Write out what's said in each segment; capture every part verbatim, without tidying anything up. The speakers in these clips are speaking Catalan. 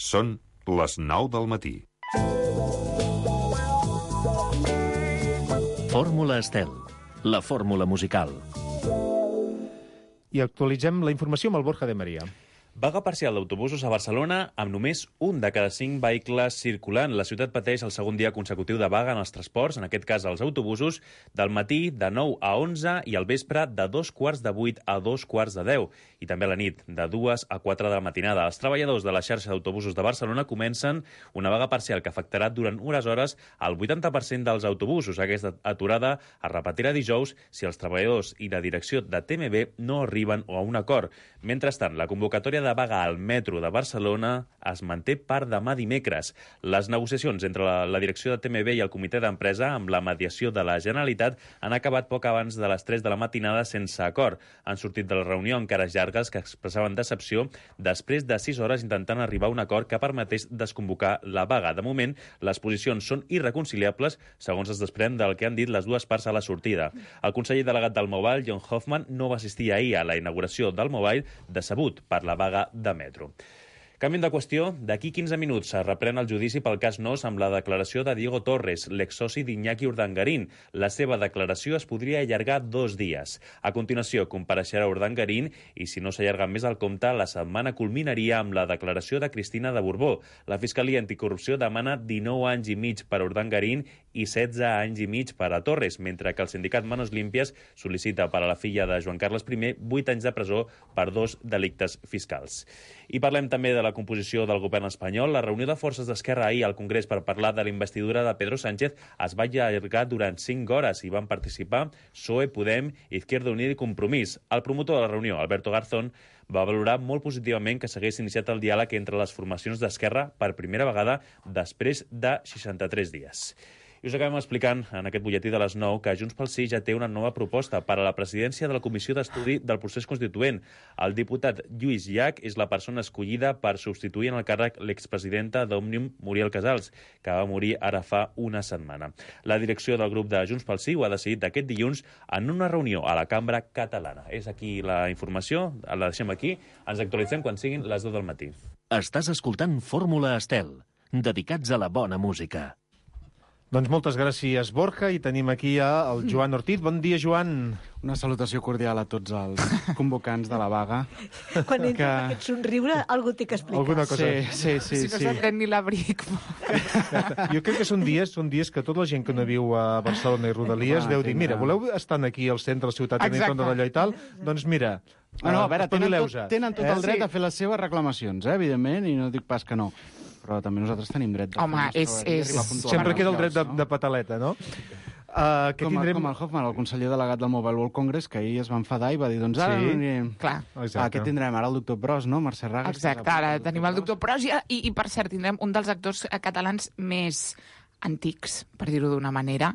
Són les nou del matí. Fórmula Estel, la fórmula musical. I actualitzem la informació amb el Borja de Maria. Vaga parcial d'autobusos a Barcelona amb només un de cada cinc vehicles circulant. La ciutat pateix el segon dia consecutiu de vaga en els transports, en aquest cas els autobusos, del matí de nou a onze i al vespre de dos quarts de vuit a dos quarts de deu. I també a la nit, de dues a quatre de la matinada. Els treballadors de la xarxa d'autobusos de Barcelona comencen una vaga parcial que afectarà durant unes hores al vuitanta per cent dels autobusos. Aquesta aturada es repetirà dijous si els treballadors i la direcció de T M B no arriben a un acord. Mentrestant, la convocatòria de vaga al metro de Barcelona es manté per demà dimecres. Les negociacions entre la, la direcció de T M B i el comitè d'empresa, amb la mediació de la Generalitat, han acabat poc abans de les tres de la matinada sense acord. Han sortit de la reunió amb cares llargues que expressaven decepció després de sis hores intentant arribar a un acord que permetés desconvocar la vaga. De moment, les posicions són irreconciliables, segons es desprèn del que han dit les dues parts a la sortida. El conseller delegat del Mobile, John Hoffman, no va assistir ahir a la inauguració del Mobile, decebut per la vaga de metro. Canviem de qüestió. D'aquí quinze minuts es reprèn el judici pel cas Nóos amb la declaració de Diego Torres, l'exsoci d'Iñaki Urdangarín. La seva declaració es podria allargar dos dies. A continuació, compareixerà Urdangarín i, si no s'allarga més el compte, la setmana culminaria amb la declaració de Cristina de Borbó. La Fiscalia Anticorrupció demana dinou anys i mig per a Urdangarín i setze anys i mig per a Torres, mentre que el sindicat Manos Limpias sol·licita per a la filla de Joan Carles I vuit anys de presó per dos delictes fiscals. I parlem també de la composició del govern espanyol. La reunió de forces d'Esquerra ahir al Congrés per parlar de la investidura de Pedro Sánchez es va allargar durant cinc hores i van participar P S O E, Podem, Izquierda Unida i Compromís. El promotor de la reunió, Alberto Garzón, va valorar molt positivament que s'hagués iniciat el diàleg entre les formacions d'Esquerra per primera vegada després de seixanta-tres dies. I us acabem explicant en aquest butlletí de les nou que Junts pel Sí ja té una nova proposta per a la presidència de la Comissió d'Estudi del Procés Constituent. El diputat Lluís Llach és la persona escollida per substituir en el càrrec l'expresidenta d'Òmnium, Muriel Casals, que va morir ara fa una setmana. La direcció del grup de Junts pel Sí ho ha decidit aquest dilluns en una reunió a la Cambra Catalana. És aquí la informació, la deixem aquí, ens actualitzem quan siguin les deu del matí. Estàs escoltant Fórmula Estel, dedicats a la bona música. Doncs moltes gràcies, Borja, i tenim aquí ja el Joan Ortiz. Bon dia, Joan. Una salutació cordial a tots els convocants de la vaga. Quan entra que... aquest somriure, algú té que explicar. Alguna cosa. Sí, sí, sí. Si no sí. se'n pren ni l'abric. Jo crec que són dies són dies que tota la gent que no viu a Barcelona i Rodalies Ah, deu dir, tindrà. mira, voleu estar aquí al centre de la ciutat tenint compte d'allò i tal? Doncs mira, Ah, no, a veure, tenen tot, espavileu-vos. tenen tot Eh? el dret Sí. a fer les seves reclamacions, eh, evidentment, i no dic pas que no. Però també nosaltres tenim dret de Home, fer és- el nostre horari i és- arribar puntualment Sempre als queda el dret de, llocs, de pataleta, no? Uh, que com, tindrem... com el Hoffman, el conseller delegat del Mobile World Congress, que ahir es va enfadar i va dir, doncs ara... Sí? no anirem. Clar. Exacte. Ah, què tindrem? Ara el doctor Pros, no? Mercè Raga. Exacte, ara tenim el doctor Pros i, i, i per cert, tindrem un dels actors eh, catalans més antics, per dir-ho d'una manera,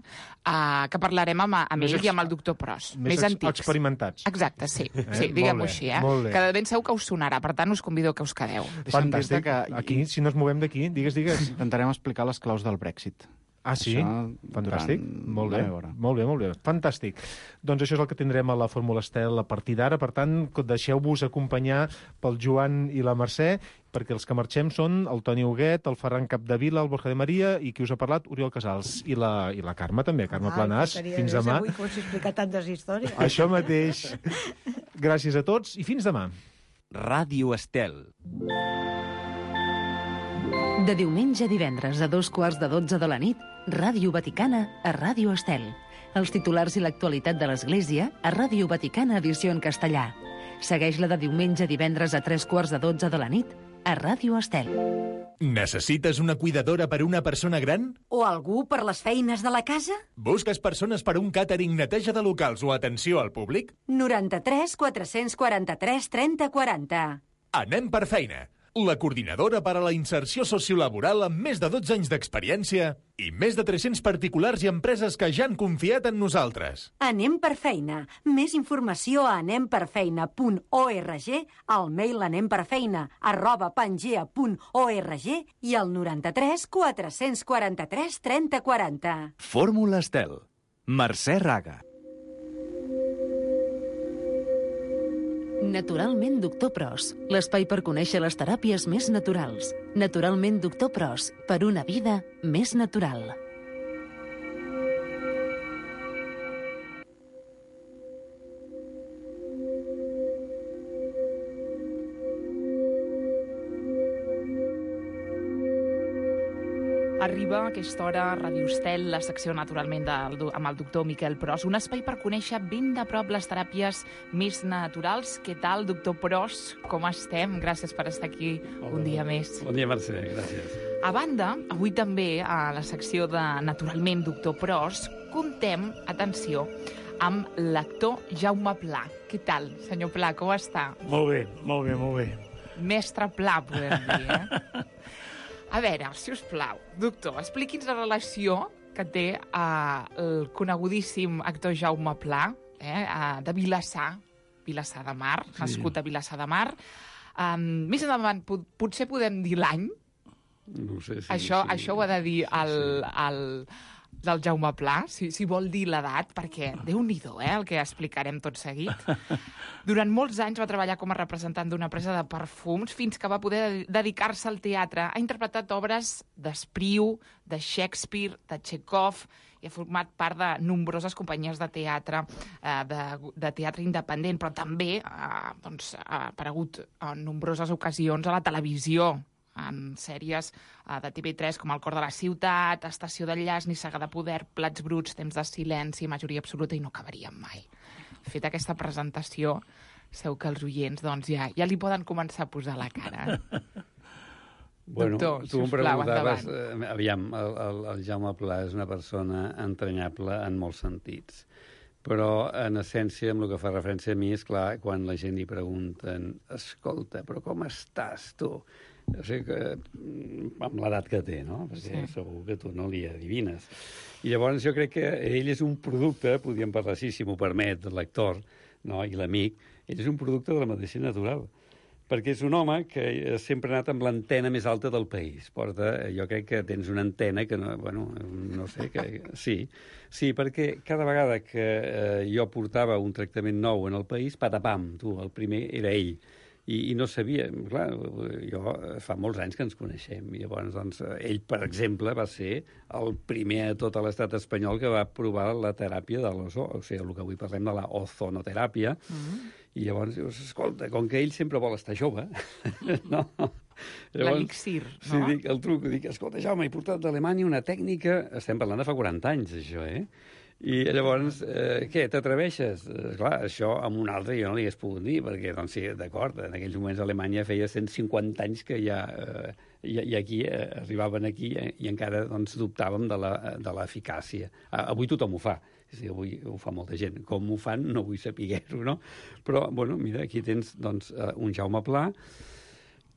uh, que parlarem amb, amb Més ell ex- i amb el doctor Pros. més Més ex- antics. experimentats. Exacte, sí. Eh? sí diguem-ho Molt bé, així, eh? molt bé. Que de ben segur que us sonarà. Per tant, us convido que us quedeu. Deixa'm dir-te Fantàstic. que... Aquí, si no ens movem d'aquí, digues, digues. Intentarem explicar les claus del Brexit. Ah, sí? Això Fantàstic. durant Molt bé. la meva hora. Molt bé, molt bé. Fantàstic. Doncs això és el que tindrem a la Fórmula Estel a partir d'ara. Per tant, deixeu-vos acompanyar pel Joan i la Mercè, perquè els que marxem són el Toni Huguet, el Ferran Capdevila, el Borja de Maria i qui us ha parlat, Oriol Casals. I la, i la Carme també, Carme Ai, Planàs. faltaria Fins més demà. Avui que us he explicat tantes històries. Això mateix. Gràcies a tots i fins demà. Ràdio Estel. De diumenge a divendres a dos quarts de dotze de la nit, Ràdio Vaticana a Ràdio Estel. Els titulars i l'actualitat de l'Església a Ràdio Vaticana edició en castellà. Segueix-la de diumenge a divendres a tres quarts de dotze de la nit a Ràdio Estel. Necessites una cuidadora per a una persona gran? O algú per les feines de la casa? Busques persones per a un càtering, neteja de locals o atenció al públic? noranta-tres quatre-cents quaranta-tres trenta quaranta. Anem per feina. La coordinadora per a la inserció sociolaboral amb més de dotze anys d'experiència i més de tres-cents particulars i empreses que ja han confiat en nosaltres. Anem per feina. Més informació a anemperfeina punt org, al mail anemperfeina arroba pangea punt org i al noranta-tres quatre-cents quaranta-tres trenta quaranta. Fórmula Estel. Mercè Raga. Naturalment Doctor Pros, l'espai per conèixer les teràpies més naturals. Naturalment Doctor Pros, per una vida més natural. Arriba a aquesta hora a Ràdio Estel, la secció naturalment del, amb el doctor Miquel Pros, un espai per conèixer ben de prop les teràpies més naturals. Què tal, doctor Pros? Com estem? Gràcies per estar aquí Hola. un dia més. Bon dia, Mercè, gràcies. A banda, avui també a la secció de Naturalment doctor Pros comptem, atenció, amb l'actor Jaume Pla. Què tal, senyor Pla, com està? Molt bé, molt bé, molt bé. Mestre Pla, podem dir, eh? A veure, si us plau, doctor, expliqui'ns la relació que té eh, el conegudíssim actor Jaume Pla, eh, de Vilassar, Vilassar de Mar, sí. nascut a Vilassar de Mar. Um, més endavant, pot, potser podem dir l'any? No ho sé. Sí, això, sí, això ho ha de dir el, sí. el, del Jaume Pla, si, si vol dir l'edat, perquè déu-n'hi-do, eh, el que explicarem tot seguit. Durant molts anys va treballar com a representant d'una empresa de perfums fins que va poder dedicar-se al teatre. Ha interpretat obres d'Espriu, de Shakespeare, de Chekhov, i ha format part de nombroses companyies de teatre, eh, de, de teatre independent, però també eh, doncs, ha aparegut en nombroses ocasions a la televisió, en sèries uh, de T V tres com El cor de la ciutat, Estació d'enllaç, Nissaga de poder, Plats bruts, Temps de silenci, Majoria absoluta, i no acabaríem mai. Feta aquesta presentació, segur que els oients doncs, ja, ja li poden començar a posar la cara. Bueno, Doctor, tu em sisplau, preguntaves... Eh, aviam, el, el, el Jaume Pla és una persona entranyable en molts sentits. Però, en essència, amb el que fa referència a mi, és clar, quan la gent li pregunten escolta, però com estàs, tu? O sigui que, amb l'edat que té, no? Perquè sí. segur que tu no li adivines. I llavors jo crec que ell és un producte, podríem parlar així, si m'ho permet, l'actor, no? I l'amic, ell és un producte de la medicina natural. Perquè és un home que sempre ha anat amb l'antena més alta del país. Porta, jo crec que tens una antena que, no, bueno, no sé, que sí. Sí, perquè cada vegada que eh, jo portava un tractament nou en el país, patapam, tu, el primer era ell. I, i no sabia, clar, jo fa molts anys que ens coneixem, i llavors, doncs, ell, per exemple, va ser el primer a tot l'estat espanyol que va provar la teràpia de l'ozo, o sigui, el que avui parlem de la ozonoteràpia, mm. i llavors dius, escolta, com que ell sempre vol estar jove, no? L'elixir, no? Sí, dic, el truc, dic, escolta, Jaume, he portat d'Alemanya una tècnica, estem parlant de fa quaranta anys, això, eh? I llavors, eh, què, t'atreveixes? Eh, clar, això amb un altre jo no li hagués pogut dir, perquè, doncs sí, d'acord, en aquells moments Alemanya feia cent cinquanta anys que ja, eh, i, i aquí eh, arribaven aquí eh, i encara doncs, dubtàvem de l'eficàcia. Avui tothom ho fa, sí, avui ho fa molta gent. Com ho fan no vull saber-ho, no? Però, bueno, mira, aquí tens doncs, un Jaume Pla,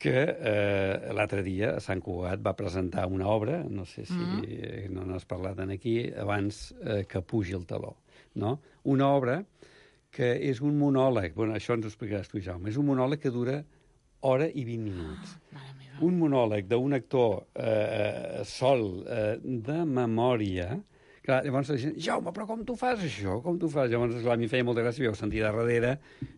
que eh, l'altre dia a Sant Cugat va presentar una obra, no sé si mm. no n'has parlat aquí, abans eh, que pugi el taló, no? Una obra que és un monòleg, bueno, això ens ho explicaràs tu, Jaume, és un monòleg que dura hora i vint minuts. Ah, un monòleg d'un actor eh, sol, eh, de memòria. Clar, llavors la gent, Jaume, però com tu fas això? Com tu fas? Llavors, clar, a mi feia molta gràcia, jo ho sentia darrere,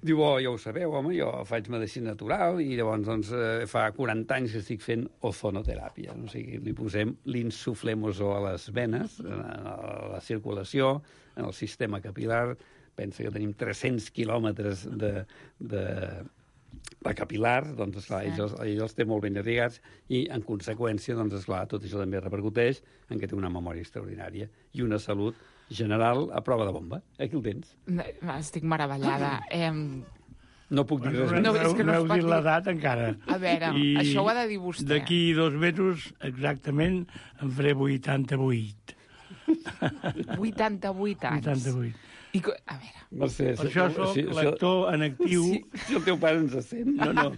diu, oh, ja ho sabeu, home, jo faig medicina natural i llavors, doncs, eh, fa quaranta anys que estic fent ozonoteràpia. O sigui, li posem l'insuflem ozó a les venes, a la circulació, en el sistema capilar. Pensa que tenim tres-cents quilòmetres de... de de capilar, doncs, esclar, sí. ells, ells els té molt ben irrigats i, en conseqüència, doncs, esclar, tot això també repercuteix en que té una memòria extraordinària i una salut general a prova de bomba. Aquí el tens. Estic meravellada. Eh... No puc dir res més. No, no, no, no heu dit l'edat encara. A veure, I això ho ha de dir vostè. D'aquí dos mesos, exactament, en faré vuitanta-vuit. vuitanta-vuit anys. vuitanta-vuit. I, a veure... Mercè, per això soc si, l'actor en actiu... Si, si el teu pare ens sent. No, no.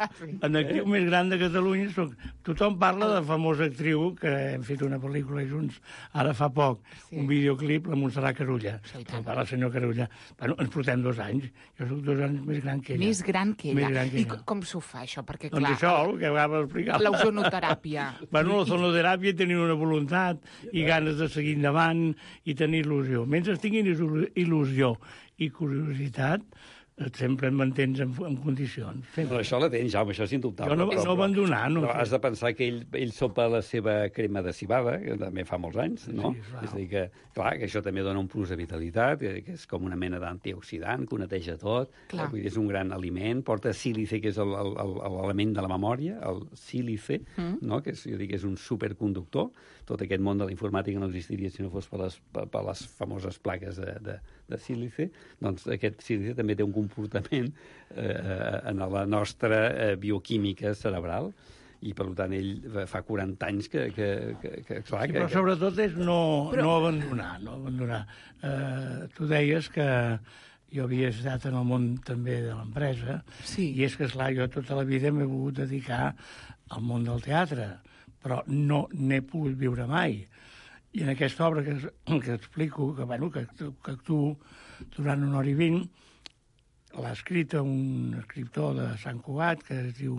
En actiu més gran de Catalunya soc... Tothom parla de famosa actriu, que hem fet una pel·lícula junts ara fa poc, sí. un videoclip, la Montserrat Carulla. Sí, el senyor Carulla. Bueno, ens portem dos anys. Jo soc dos anys més gran que ella. Més gran que ella. Gran que I ella. Com s'ho fa, això? Perquè, clar... Doncs això, el que acaba d'explicar. L'ozonoteràpia. Bueno, l'ozonoteràpia tenir una voluntat i ganes de seguir endavant i tenir il·lusió. Mentre tinguin il·lusió i curiositat, sempre em mantens en, en condicions. Sempre. Però això la tens, Jaume, això és indubtable. Jo no, però, no abandonar, no. Però has de pensar que ell, ell sopa la seva crema de cibada, que també fa molts anys, no? Sí, és a dir que, clar, que això també dona un plus de vitalitat, que, que és com una mena d'antioxidant, que ho neteja tot. Clar. Vull dir, és un gran aliment, porta sílice, que és l'element de la memòria, el sílice, mm. no? Que és, jo dic, és un superconductor. Tot aquest món de la informàtica no existiria si no fos per les, per, per les famoses plaques de, de, de sílice. Doncs aquest sílice també té un comportament eh, en la nostra eh, bioquímica cerebral, i per tant ell fa quaranta anys que... que, que, que clar, sí, que, però sobretot és no, però... no abandonar. No abandonar. Eh, tu deies que jo havia estat en el món també de l'empresa, sí. I és que, esclar, jo tota la vida m'he volgut dedicar al món del teatre, però no n'he pogut viure mai. I en aquesta obra que, que explico, que, bueno, que, que actuo durant una hora i vint, l'ha escrit un escriptor de Sant Cugat, que es diu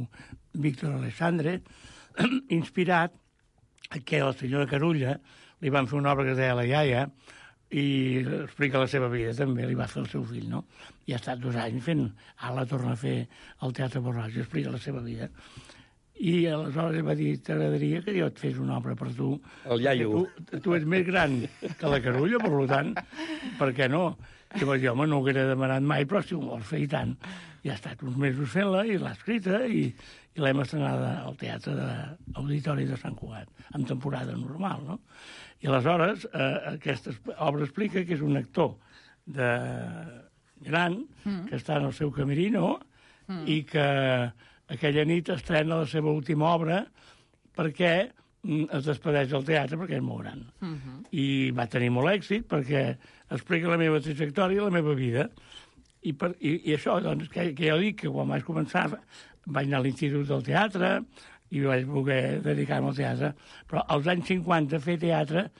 Víctor Alessandre, inspirat que la senyora Carulla li van fer una obra que es deia La iaia, i explica la seva vida també, li va fer el seu fill, no? I ha estat dos anys fent, ara la torna a fer al Teatre Borràs i explica la seva vida. I aleshores va dir, t'agradaria que jo et fes una obra per tu. El iaio. Tu, tu ets més gran que la Carulla, per tant, per què no? Llavors jo, home, no ho haguera demanat mai, però si ho vols fer i tant. I ha estat uns mesos fent-la, i l'ha escrita, i, i l'hem estrenada al Teatre de Auditori de Sant Cugat, en temporada normal, no? I aleshores, eh, aquesta obra explica que és un actor de gran, mm. que està en el seu camerino, mm. i que aquella nit estrena la seva última obra perquè es despedeix del teatre, perquè és molt gran. Uh -huh. I va tenir molt èxit perquè explica la meva trajectòria i la meva vida. I, per, i, i això, doncs, que, que jo dic que quan vaig començar vaig anar a l'Institut del Teatre i vaig voler dedicar-me al teatre. Però als anys cinquanta fer teatre,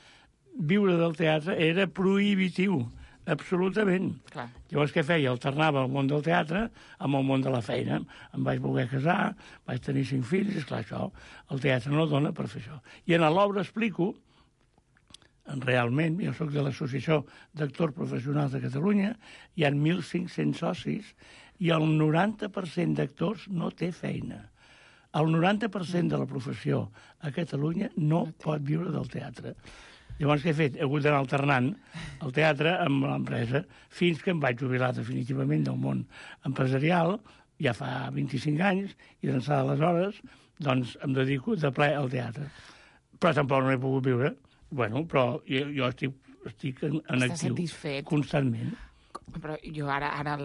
viure del teatre, era prohibitiu. Absolutament. Clar. Llavors, què feia? Alternava el món del teatre amb el món de la feina. Em vaig voler casar, vaig tenir cinc fills, i esclar, això, el teatre no dona per fer això. I en l'obra explico, realment, jo soc de l'Associació d'Actors Professionals de Catalunya, hi ha mil cinc-cents socis, i el noranta per cent d'actors no té feina. El noranta per cent de la professió a Catalunya no pot viure del teatre. Llavors, què he fet? He hagut d'anar alternant el teatre amb l'empresa fins que em vaig jubilar definitivament del món empresarial, ja fa vint-i-cinc anys, i d'ençà d'aleshores doncs, em dedico de ple al teatre. Però tampoc no he pogut viure. Bueno, però jo, jo estic, estic en, en actiu satisfet. Constantment. Però jo ara, ara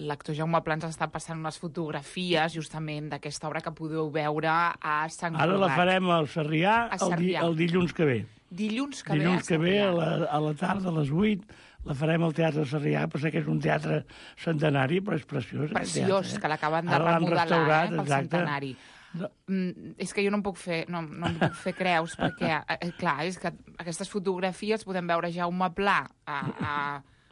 l'actor Jaume Pla ens està passant unes fotografies justament d'aquesta obra que podeu veure a Sant Cugat. Ara la farem al Sarrià, a Sarrià. El, el dilluns que ve. Dilluns que ve dilluns que ve a la, a la tarda, a les vuit, la farem al Teatre Sarrià, però sé que és un teatre centenari, però és preciós. Preciós, teatre, eh? Que l'acaben de ara remodelar eh, pel centenari. No. Mm, és que jo no em puc fer, no, no em puc fer creus, perquè, eh, clar, és que aquestes fotografies podem veure Jaume Pla a, a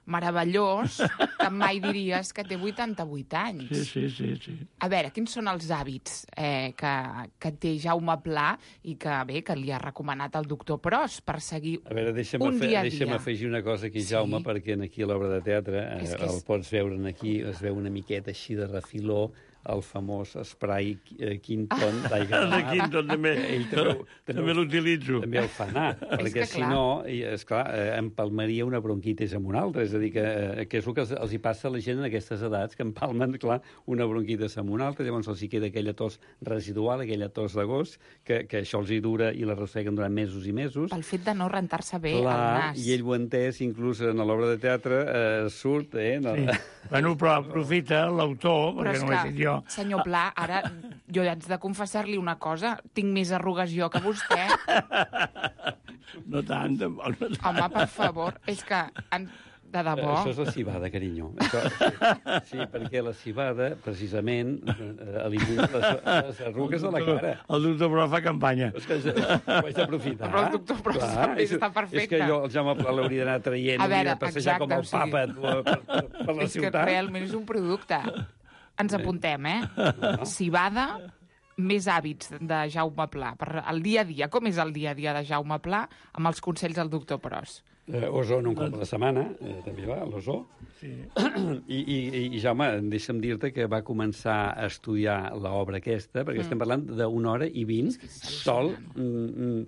meravellós, que mai diries que té vuitanta-vuit anys. Sí, sí, sí, sí. A veure, quins són els hàbits eh, que, que té Jaume Pla i que, bé, que li ha recomanat el doctor Pros per seguir a veure, deixa'm un dia a dia? Deixa'm afegir una cosa aquí, Jaume, sí. Perquè aquí a l'obra de teatre eh, és el és... pots veure aquí, es veu una miqueta així de refiló, el famós spray eh, Quinton d'aigua. De Quinton, també, Ell també, també, també l'utilitzo. També el fa anar, perquè si no, esclar, eh, empalmaria una bronquitis amb una altra. És a dir, que, eh, que és el que els, els hi passa a la gent en aquestes edats, que empalmen, clar, una bronquitis amb una altra, llavors els hi queda aquella tos residual, aquella tos d'agost, que, que això els hi dura i la arrosseguen durant mesos i mesos. Pel fet de no rentar-se bé clar, el nas. I ell ho ha entès, inclús en l'obra de teatre, eh, surt, eh? No? Sí. Bueno, però aprofita l'autor, perquè no ho he fet jo. Senyor Pla, ara jo haig de confessar-li una cosa. Tinc més arrugues jo que vostè. No tant, tampoc. No tant. Home, per favor, és que... En... De debò. Això és la cibada, carinyo. Això, sí, sí, perquè la cibada, precisament, elimina les, les arrugues de la cara. El doctor Pro fa campanya. És que ho haig d'aprofitar. Però el doctor Pro també està perfecte. És que jo el Jaume Pla l'hauria d'anar traient, hauria de passejar exacte, com el papa o sigui, per, per, per la és ciutat. És que realment és un producte. Ens apuntem, eh? No. Cibada, més hàbits de Jaume Pla. Per el dia a dia, com és el dia a dia de Jaume Pla amb els consells del doctor Pros? Eh, Osona un cop a la setmana, eh, també va, a l'Osó. Sí. I, i, I, Jaume, deixa'm dir-te que va començar a estudiar l'obra aquesta, perquè mm. estem parlant d'una hora i vint, sol, mm,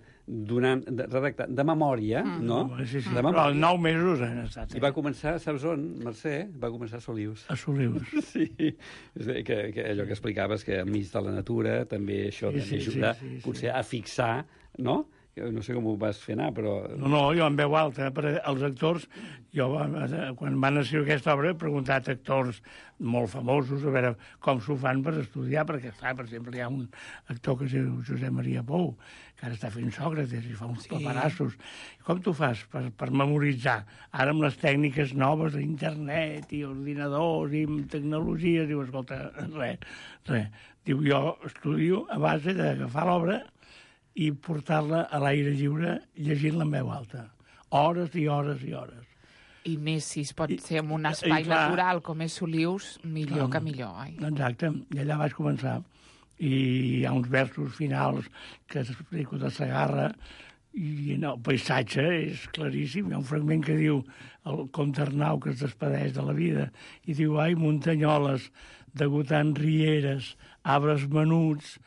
donant, de, redactant, de memòria, mm. no? Sí, sí, de memòria. Però els nou mesos han estat. I va començar, saps on, Mercè? Va començar a Solius. A Solius. Sí, és a dir, que, que allò que explicaves, que enmig de la natura també això sí, també sí, ajuda sí, sí, potser sí. a fixar, no?, no sé com ho vas fer anar, però... No, no, jo en veu alta, per als actors, jo quan van escriure aquesta obra he preguntat a actors molt famosos a veure com s'ho fan per estudiar, perquè, clar, per exemple, hi ha un actor que es diu Josep Maria Pou, que ara està fent Sòcrates i fa uns sí. paperassos. Com t'ho fas per, per memoritzar? Ara amb les tècniques noves d'internet i ordinadors i tecnologies, diu, escolta, res, res. Diu, jo estudio a base d'agafar l'obra i portar-la a l'aire lliure llegint-la en veu alta. Hores i hores i hores. I més si es pot I, ser en un espai clar, natural com és Solius, millor clar, que millor. Ai. Exacte, i allà vaig començar. I hi ha uns versos finals que explico de Segarra i no, el paisatge és claríssim. Hi ha un fragment que diu el comte Arnau que es despedeix de la vida i diu, ai, muntanyoles, degotant rieres, arbres menuts,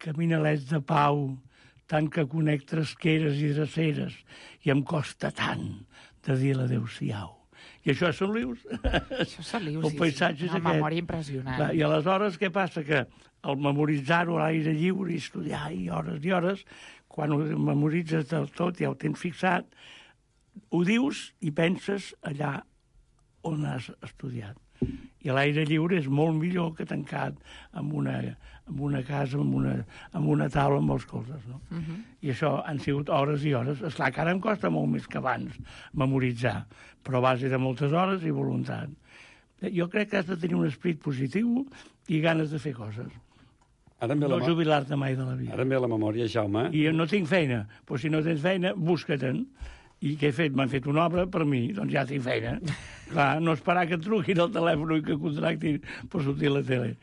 caminalets de pau, tant que conec tresqueres i dreceres, i em costa tant de dir l'adéu-siau. I això és Solius. Això és Solius, el paisatge sí, sí. Una és memòria impressionant. Clar, I aleshores què passa? Que al memoritzar-ho a l'aire lliure i estudiar i hores i hores, quan ho memoritzes del tot, ja ho tens fixat, ho dius i penses allà on has estudiat. I l'aire lliure és molt millor que tancat en una, en una casa, en una, en una taula amb els colzes, no? Uh -huh. I això han sigut hores i hores. Esclar, que ara em costa molt més que abans memoritzar, però a base de moltes hores i voluntat. Jo crec que has de tenir un esperit positiu i ganes de fer coses. Ara no la jubilar-te mai de la vida. Ara em ve la memòria, Jaume. I jo no tinc feina, però si no tens feina, busca-te'n. I què he fet? M'han fet una obra per mi, doncs ja tinc feina. Clar, no esperar que et truquin al telèfon i que contractin per sortir a la tele.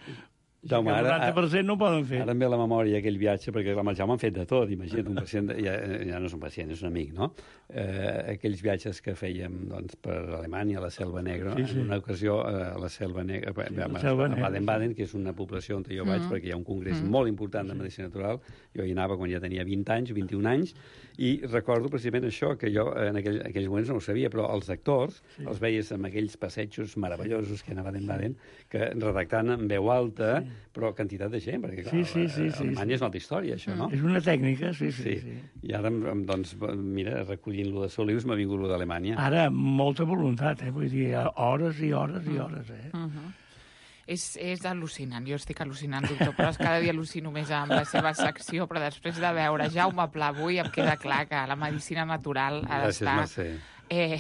Jaume, el noranta per cent no ho poden fer. Ara em ve la memòria aquell viatge, perquè amb el Jaume han fet de tot. Imagina't, un pacient, ja, ja no és un pacient, és un amic, no? Eh, aquells viatges que fèiem doncs, per Alemanya, a la Selva Negra, sí, sí. en una ocasió a la Selva Negra, a, a Baden-Baden, que és una població on jo vaig, mm. perquè hi ha un congrés mm. molt important de medicina natural. Jo hi anava quan ja tenia vint anys, vint-i-un anys, i recordo precisament això, que jo en aquell, aquells moments no ho sabia, però els actors sí. els veies amb aquells passejos meravellosos que anaven a Baden-Baden, que redactant en veu alta, sí. però quantitat de gent, perquè clar, sí, sí, sí, sí, Alemanya sí. és una altra història, això, no? És una tècnica, sí, sí. sí. sí. I ara, doncs, mira, recollint-lo de Solius, m'ha vingut lo d'Alemanya. Ara, molta voluntat, eh? Vull dir, hores i hores i hores, eh? Uh -huh. És, és al·lucinant, jo estic al·lucinant, doctor, però cada dia al·lucino més amb la seva secció, però després de veure Jaume Pla avui em queda clar que la medicina natural ha d'estar... Gràcies, Mercè. Eh,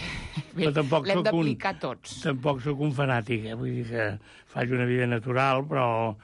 l'hem d'aplicar tots. Tampoc sóc un fanàtic, eh? Vull dir que faig una vida natural, però...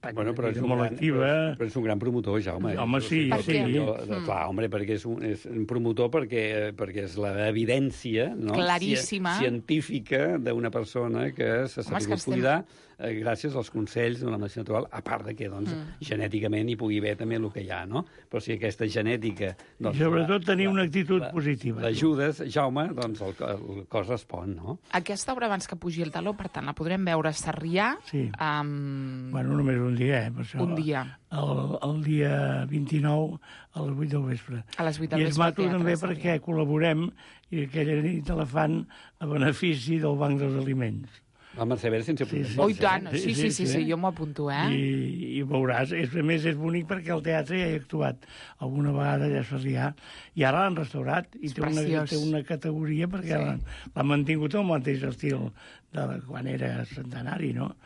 Bueno, però és, un molt gran, activa. però, però és un gran promotor, Jaume. Home, sí, sí. sí. Jo, clar, home, perquè és un, és un promotor perquè, perquè és l'evidència no? claríssima científica d'una persona que s'ha sabut cuidar eh, gràcies als consells d'una medicina natural, a part de que doncs, mm. genèticament hi pugui haver també el que hi ha, no? Però si aquesta genètica... Doncs, I sobretot tenir una actitud la, positiva. L'ajudes, Jaume, doncs el, el cos respon, no? Aquesta obra, abans que pugi el taló, per tant, la podrem veure a Sarrià. Sí. Amb... Bueno, només un dia, eh? Per això, un dia. El, el dia vint-i-nou a les vuit del vespre. A les vuit del I vespre. I es mato també perquè col·laborem i aquella nit la fan a benefici del Banc dels Aliments. La Mercè Vera sense sí, sí. Oh, i tant, sí, sí, sí, sí, sí, jo m'ho apunto, eh? I, i veuràs, és, a més és bonic perquè al teatre ja he actuat alguna vegada allà a Sarrià i ara l'han restaurat i té una, té una categoria perquè sí. l'han mantingut el mateix estil de quan era centenari, no?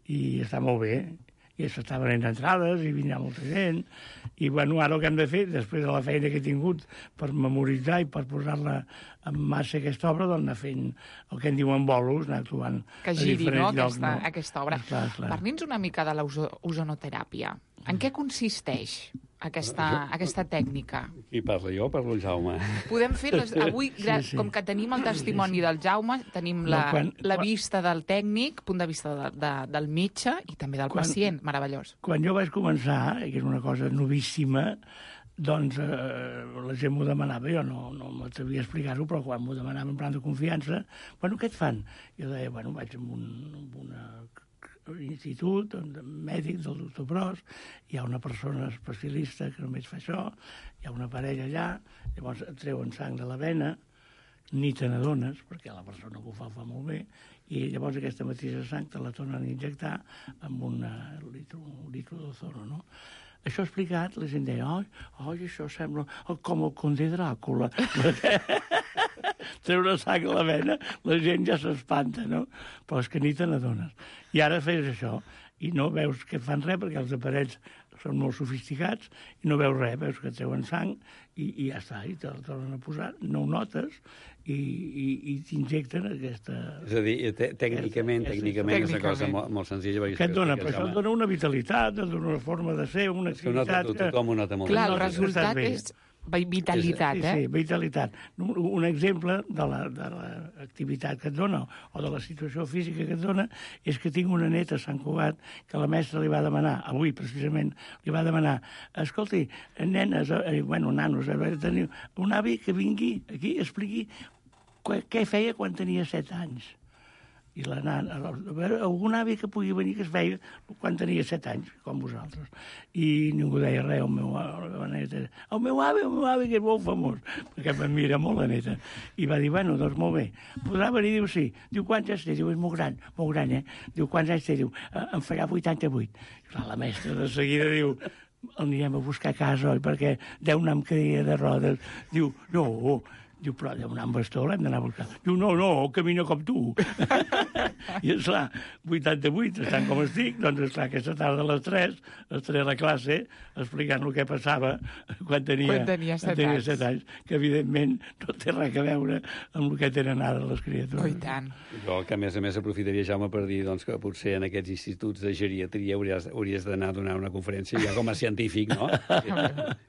I està molt bé. I s'estaven venent entrades i vindrà molta gent. I, bueno, ara el que hem de fer, després de la feina que he tingut per memoritzar i per posar-la en massa aquesta obra, doncs anar fent el que en diuen bolos, anar actuant que giri, a no, llocs, aquesta, no? aquesta obra. Parli'ns una mica de l'ozonoteràpia. En què consisteix aquesta, aquesta tècnica? Qui parla jo? Parlo el Jaume. Podem fer, les, avui, sí, sí. com que tenim el testimoni del Jaume, tenim la, no, quan, la vista del tècnic, punt de vista de, de, del metge i també del quan, pacient, meravellós. Quan jo vaig començar, que és una cosa novíssima, doncs eh, la gent m'ho demanava, jo no, no m'atrevia a explicar-ho, però quan m'ho demanava en plan de confiança, bueno, què et fan? Jo deia, bueno, vaig a un, una institut mèdic del doctor Pros, hi ha una persona especialista que només fa això, hi ha una parella allà, llavors et treuen sang de la vena, ni te n'adones, perquè la persona que ho fa ho fa molt bé, i llavors aquesta mateixa sang te la tornen a injectar amb una litro, un litro d'ozono, no? Això explicat, la gent deia, oi, oi, això sembla com el conde Dràcula. Treure sang a la vena, la gent ja s'espanta, no? Però és que ni te n'adones. I ara fes això, i no veus que fan res, perquè els aparells són molt sofisticats, i no veus res, veus que treuen sang, i, i ja està, i te la tornen a posar, no ho notes, i, i, i t'injecten aquesta... És a dir, te, tècnicament, aquesta, tècnicament és una cosa molt, molt senzilla. Què et dona? Però això et dona una vitalitat, et dona una forma de ser, una activitat... Que... Tothom ho nota molt. Clar, el resultat és... vitalitat, sí, eh? Sí, vitalitat. Un exemple de l'activitat que et dona o de la situació física que et dona és que tinc una neta a Sant Cugat que la mestra li va demanar, avui precisament, li va demanar, escolti, nenes, eh, bueno, nanos, eh, tenir un avi que vingui aquí i expliqui què feia quan tenia set anys. I la nana, a veure, algun avi que pugui venir que es feia quan tenia set anys, com vosaltres. I ningú deia res, el meu, la neta, el meu avi, el meu avi, que és molt famós, perquè em mira molt la neta. I va dir, bueno, doncs molt bé. Podrà venir, diu, sí. Diu, quants anys té? Diu, és molt gran, molt gran, eh? Diu, quants anys té? Diu, em farà vuitanta-vuit. I clar, la mestra de seguida diu, el anirem a buscar a casa, oi? Perquè deu anar amb cadira de rodes. Diu, no, diu, però deu anar amb bastó, l'hem d'anar a buscar. Diu, no, no, camina com tu. I, esclar, vuitanta-vuit, estan com estic, doncs, esclar, aquesta tarda a les tres, estaré a la classe explicant el que passava quan tenia, quan tenia set, quan tenia anys. set anys, que evidentment no té res a veure amb el que tenen ara les criatures. Oh, i tant. Jo, que a més a més aprofitaria, Jaume, per dir doncs, que potser en aquests instituts de geriatria hauries, hauries d'anar a donar una conferència ja com a científic, no?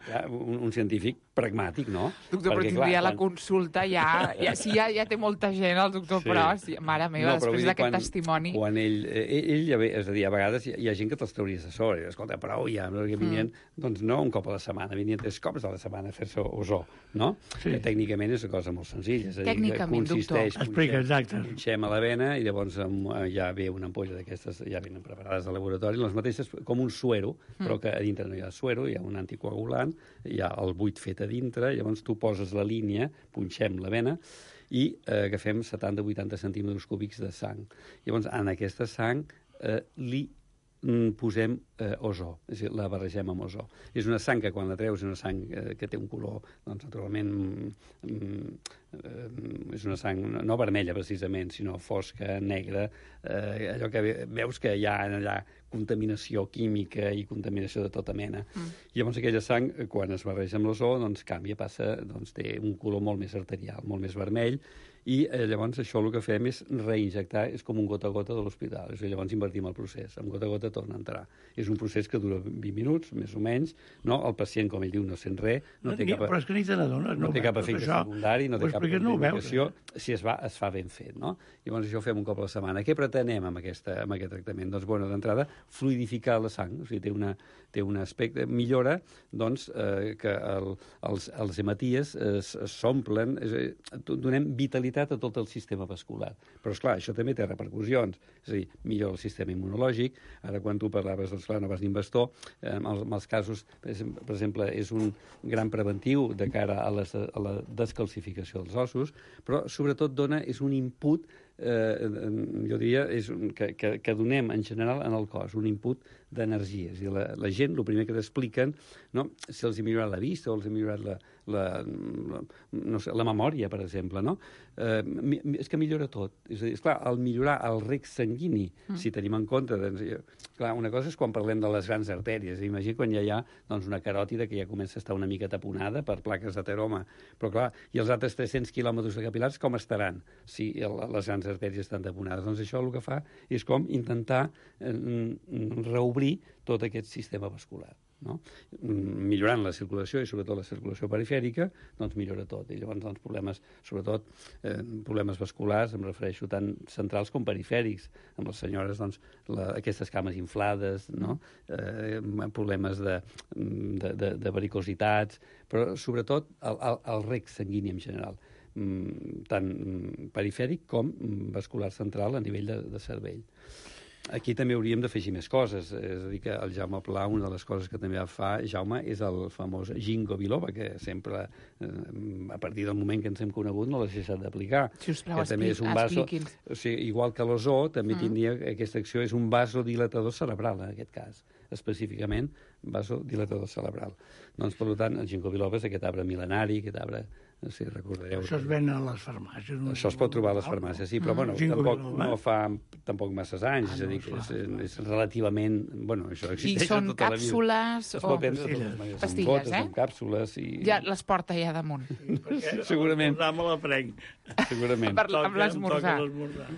Ja, un, un científic pragmàtic, no? Doctor, però tindria la consulta ja, ja, si ja, ja té molta gent, el doctor Sí. Pros, mare meva, No, però després vull dir, d'aquest quan- testimoni... Quan ell, ell, ell ja ve, és a dir, a vegades hi, hi ha gent que te'ls trauries de sobre. Escolta, prou ja, perquè venien, mm. doncs no un cop a la setmana, venien tres cops a la setmana a fer-se ozó, no? Sí. Que tècnicament és una cosa molt senzilla. És a dir, Tècnicament, que consisteix, doctor. Explica, exacte. punxem a la vena i llavors amb, ja ve una ampolla d'aquestes, ja venen preparades al laboratori, les mateixes com un suero, mm. però que a dintre no hi ha suero, hi ha un anticoagulant, hi ha el buit fet a dintre, llavors tu poses la línia, punxem la vena, i eh, agafem setanta a vuitanta centímetres cúbics de sang. Llavors, en aquesta sang eh, li mm, posem eh, ozó, és a dir, la barregem amb ozó. És una sang que quan la treus és una sang eh, que té un color, doncs, naturalment, mm, eh, és una sang no vermella, precisament, sinó fosca, negra, eh, allò que veus que hi ha allà contaminació química i contaminació de tota mena. Mm. Llavors aquella sang, quan es barreja amb l'ozó, doncs canvia, passa, doncs té un color molt més arterial, molt més vermell, i eh, llavors això el que fem és reinjectar, és com un gota a gota de l'hospital, és a dir, llavors invertim el procés, amb gota a gota torna a entrar. És un procés que dura vint minuts, més o menys, no? El pacient, com ell diu, no sent res, no, No, té ni, cap, però és que ni te n'adones. no, no té cap efecte això, secundari, no té cap no contraindicació, si es, va, es fa ben fet, no? Llavors això ho fem un cop a la setmana. Què pretenem amb, aquesta, amb aquest tractament? Doncs, bueno, d'entrada, fluidificar la sang, o sigui, té, una, té un aspecte, millora, doncs, eh, que el, els, els hematies s'omplen, donem vitalitat a tot el sistema vascular. Però, esclar, això també té repercussions, és a dir, millora el sistema immunològic. Ara, quan tu parlaves, doncs, clar, no vas ni amb bastó, eh, en, els, en els casos, per exemple, és un gran preventiu de cara a, les, a la descalcificació dels ossos, però, sobretot, dona, és un input, eh, jo diria, és un, que, que, que donem, en general, en el cos, un input d'energia. És a dir, la, la gent, el primer que t'expliquen, no, si els ha millorat la vista o els ha millorat la, la, la, no sé, la memòria, per exemple, no? Eh, és que millora tot. És a dir, esclar, el millorar el rec sanguini, mm. si tenim en compte... Doncs, clar, una cosa és quan parlem de les grans artèries. Imagina quan ja hi ha doncs, una caròtida que ja comença a estar una mica taponada per plaques d'ateroma. Però, clar, i els altres tres-cents quilòmetres de capilars com estaran si el, les grans artèries estan taponades? Doncs això el que fa és com intentar eh, reobrir tot aquest sistema vascular. no? Millorant la circulació i sobretot la circulació perifèrica, doncs millora tot. I llavors doncs, problemes, sobretot eh, problemes vasculars, em refereixo tant centrals com perifèrics. Amb les senyores, doncs, la, aquestes cames inflades, no? eh, problemes de, de, de, de varicositats, però sobretot el, el, el rec sanguini en general, tant perifèric com vascular central a nivell de, de cervell. Aquí també hauríem d'afegir més coses, és a dir, que el Jaume Pla, una de les coses que també fa Jaume és el famós ginkgo biloba, que sempre, eh, a partir del moment que ens hem conegut, no l'has deixat d'aplicar. Si us plau, que també és un vaso, o sigui, igual que l'ozó, també mm. tindria aquesta acció, és un vasodilatador cerebral, en aquest cas, específicament vasodilatador cerebral. Doncs, per tant, el ginkgo biloba és aquest arbre mil·lenari, aquest arbre... No sé, recordareu. Això es ven a les farmàcies. No? Això es pot trobar a les farmàcies, sí, però bueno, tampoc no fa tampoc masses anys, Ah, és a dir, no, que és, clar. és relativament... Bueno, això I existeix són tota la vida. càpsules Es o pot vendre de totes maneres, pastilles, amb gotes, eh? amb càpsules i... Ja les porta ja damunt. Segurament. Me la prenc. Segurament. Per, amb l'esmorzar. l'esmorzar.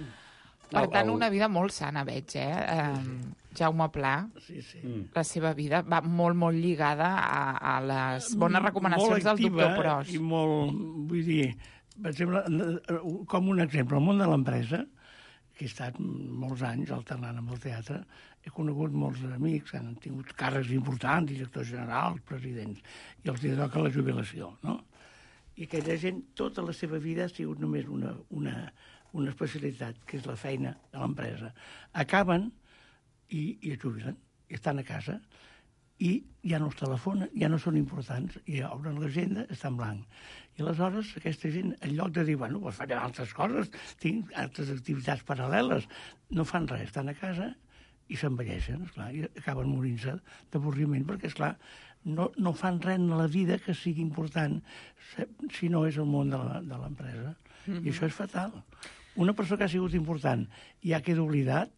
Per tant, El- una vida molt sana, veig, eh? eh Jaume Pla, Sí, sí. la seva vida va molt, molt lligada a, a les bones recomanacions molt del activa doctor Pros. I molt, vull dir, per exemple, com un exemple, el món de l'empresa, que he estat molts anys alternant amb el teatre, he conegut molts amics que han tingut càrrecs importants, directors generals, presidents, i els hi toca la jubilació, no? I aquella gent, tota la seva vida ha sigut només una, una, una especialitat, que és la feina de l'empresa. Acaben i, i es jubilen, i estan a casa, i ja no es telefonen, ja no són importants, i obren l'agenda, està en blanc. I aleshores aquesta gent, en lloc de dir, bueno, pues faré altres coses, tinc altres activitats paral·leles, no fan res, estan a casa i s'envelleixen, esclar, i acaben morint-se d'avorriment, perquè, esclar, no, no fan res en la vida que sigui important si no és el món de la- de l'empresa. Mm-hmm. I això és fatal. Una persona que ha sigut important i ja queda oblidat,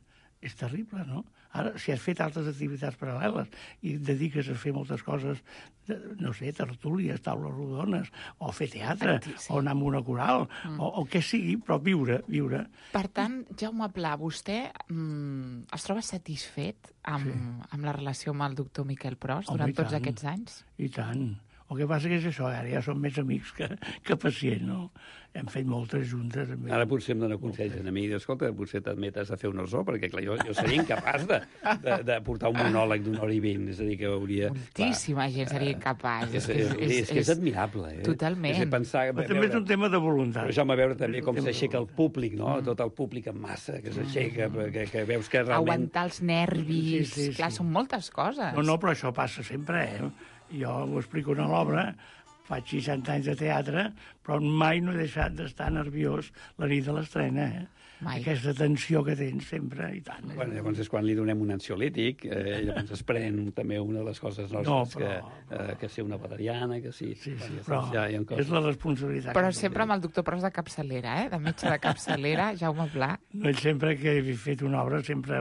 és terrible, no? Ara, si has fet altres activitats paral·leles i et dediques a fer moltes coses, de, no sé, tertúlies, taules rodones, o fer teatre, Sí. o anar amb una coral, mm. o, o què sigui, però viure, viure. Per tant, Jaume Pla, vostè mm, es troba satisfet amb, Sí. amb la relació amb el doctor Miquel Pros Home, durant i tots tant. aquests anys? I tant. El que passa que és això, ara ja som més amics que, que pacients, no? Hem fet moltes juntes. Amb Ara potser em dona consells a mi, i diu, escolta, potser t'admetes a fer un orzó, perquè clar, jo, jo seria incapaç de, de, de portar un monòleg d'una hora i vint, és a dir, que hauria... Moltíssima gent seria capaç. És, és, és, és, que és admirable, eh? Totalment. És a pensar, Però també és un tema de voluntat. Però Jaume, veure també És un com tema de s'aixeca el públic, no? Mm. Tot el públic en massa, que s'aixeca, que, que veus que realment... Aguantar els nervis, Sí, sí, clar, sí. són moltes coses. No, no, però això passa sempre, eh? Jo ho explico a l'obra, faig seixanta anys de teatre, però mai no he deixat d'estar nerviós la nit de l'estrena, eh? Mai. Aquesta tensió que tens sempre, i tant. Eh? Bueno, llavors és quan li donem un ansiolític, eh, llavors es pren també una de les coses nostres, No, però- que, eh, que ser una valeriana, que sí. Sí, sí, Bueno, però ja, hi ha coses. és la responsabilitat. Però que sempre amb el doctor Pros de capçalera, eh? De metge de capçalera, Jaume Pla. No, ell sempre que he fet una obra, sempre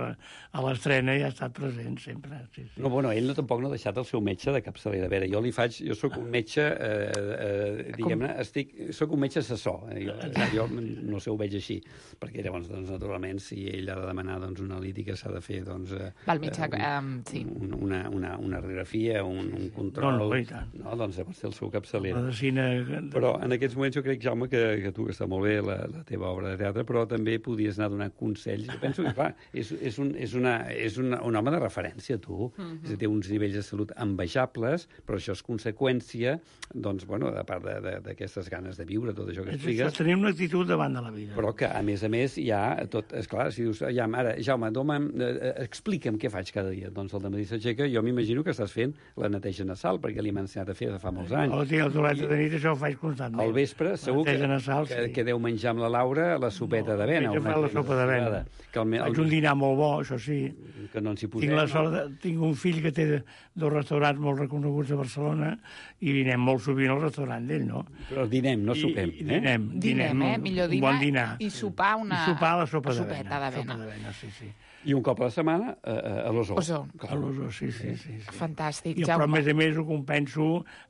a l'estrena i ha estat present, sempre. Sí, sí. No, bueno, ell no, tampoc no ha deixat el seu metge de capçalera. A veure, jo li faig... Jo sóc un metge, eh, eh, diguem-ne, estic... Sóc un metge assessor. Eh, jo, jo no sé, ho veig així. Perquè llavors, doncs, naturalment, si ell ha de demanar doncs, una analítica, s'ha de fer, doncs... Eh, Val, metge, eh, um, sí. un, una, una, una radiografia, un, un control... No, no, i tant. No, doncs llavors té el seu capçalera. Medicina... Però en aquests moments jo crec, Jaume, que, que tu, que està molt bé la, la teva obra de teatre, però també podies anar a donar consells. Jo penso que, clar, és, és, un, és, una, és una, un home de referència, tu. Mm-hmm. És a dir, té uns nivells de salut envejables, però això és conseqüència, doncs, bueno, a part d'aquestes ganes de viure, tot això que És això, expliques, tenir una actitud davant de la vida. però que, a més a més, hi ha tot... Esclar, si dius, ja, ara, Jaume, doma, eh, explica'm què faig cada dia. Doncs el dematí s'aixeca, jo m'imagino que estàs fent la neteja nasal, perquè li m'ha ensenyat a fer de fa molts anys. No, tinc el toilet de nit, això ho faig constantment. Al vespre, segur que, Neteja nasal, que, sí. que deu menjar amb la Laura la sopeta de vena. Jo una faig la sopa de vena. Que el, Faig un dinar molt bo, això sí. que no ens hi posem. Tinc, la sort de, tinc un fill que té dos restaurants molt reconeguts a Barcelona i anem molt sovint al restaurant d'ell, no? Però dinem, no sopem. I, i dinem, eh? Dinem, eh? Millor dinar, un bon dinar. I sopar una... I sopar la sopa sopeta d'avena. d'avena. Sopa d'avena, sí, sí. I un cop a la setmana uh, a l'Osó. Osó. A l'Osó, sí, sí, sí, sí. Fantàstic, I, Jaume. però, a més a més, ho compenso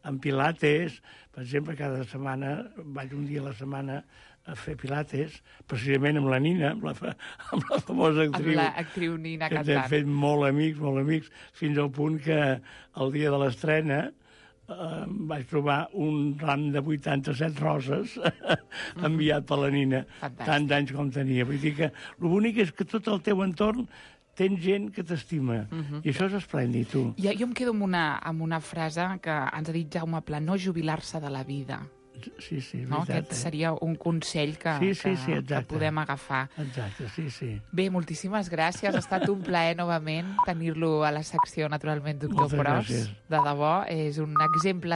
amb pilates. Per exemple, cada setmana, vaig un dia a la setmana a fer pilates, precisament amb la Nina, amb la, fa, amb la famosa actriu. Amb l'actriu Nina que cantant. hem fet molt amics, molt amics, fins al punt que el dia de l'estrena eh, vaig trobar un ram de vuitanta-set roses enviat per la Nina. Fantàstic. Tants anys com tenia. Vull dir que el bonic és que tot el teu entorn tens gent que t'estima. Uh -huh. I això és esplèndid, tu. Jo, jo em quedo amb una, amb una frase que ens ha dit Jaume Pla, no jubilar-se de la vida. Sí, sí, és no? veritat. Aquest seria un consell que, sí, sí, que, sí, que podem agafar. Exacte, sí, sí. Bé, moltíssimes gràcies. Ha estat un plaer, novament, tenir-lo a la secció, naturalment, doctor Moltes Pros. gràcies. De debò, és un exemple